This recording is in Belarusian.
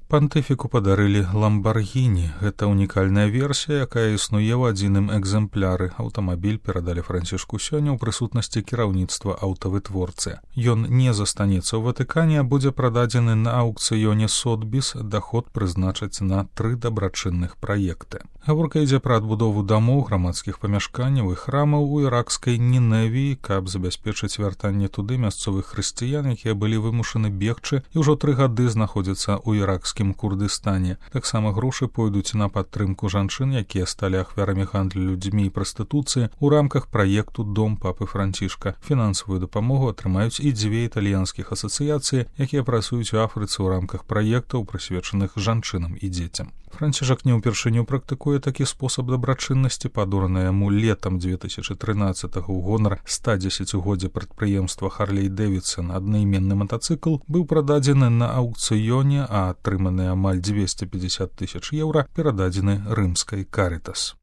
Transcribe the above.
Пантыфіку падарылі ламбаргіні. Гэта унікальная версія, якая існуе ў адзіным экземпляры. Аўтамабіль перадалі Францішку сёння ў прысутнасці кіраўніцтва аўтавытворцы. Ён не застанецца ў Ватыкане, а будзе прададзены на аўкцыёне Сотбіс. Даход прызначаць на 3 дабрачынных праекты. Гаворка ідзе пра адбудову дамоў, грамадскіх памяшканняў і храмаў у іракскай Ніневіі, каб забяспечыць вяртанне туды мясцовых хрысціян, якія былі вымушаны бегчы і ўжо 3 гады знаходзяцца ў іракскім Курдыстане. Таксама грошы пойдуць на падтрымку жанчын, якія сталі ахвярамі гандлю людзьмі і прастытуцыі у рамках праекту «Дом папы Францішка». Фінансавую дапамогу атрымаюць і 2 італьянскіх асацыяцыі, якія працуюць у Афрыцы ў рамках праектаў, прысвечаных жанчынам і дзецям. Францішак не ўпершыню практыкуе такі спосаб дабрачыннасці, падораны яму летам 2013 ў гонар 110-годдзя прадпрыемства Харлей-Дэвідсон. Аднайменны матацыкл быў прададзены на аўкцыёне, а атрыманыя амаль 250 000 еўра перададзены рымскай Карытас.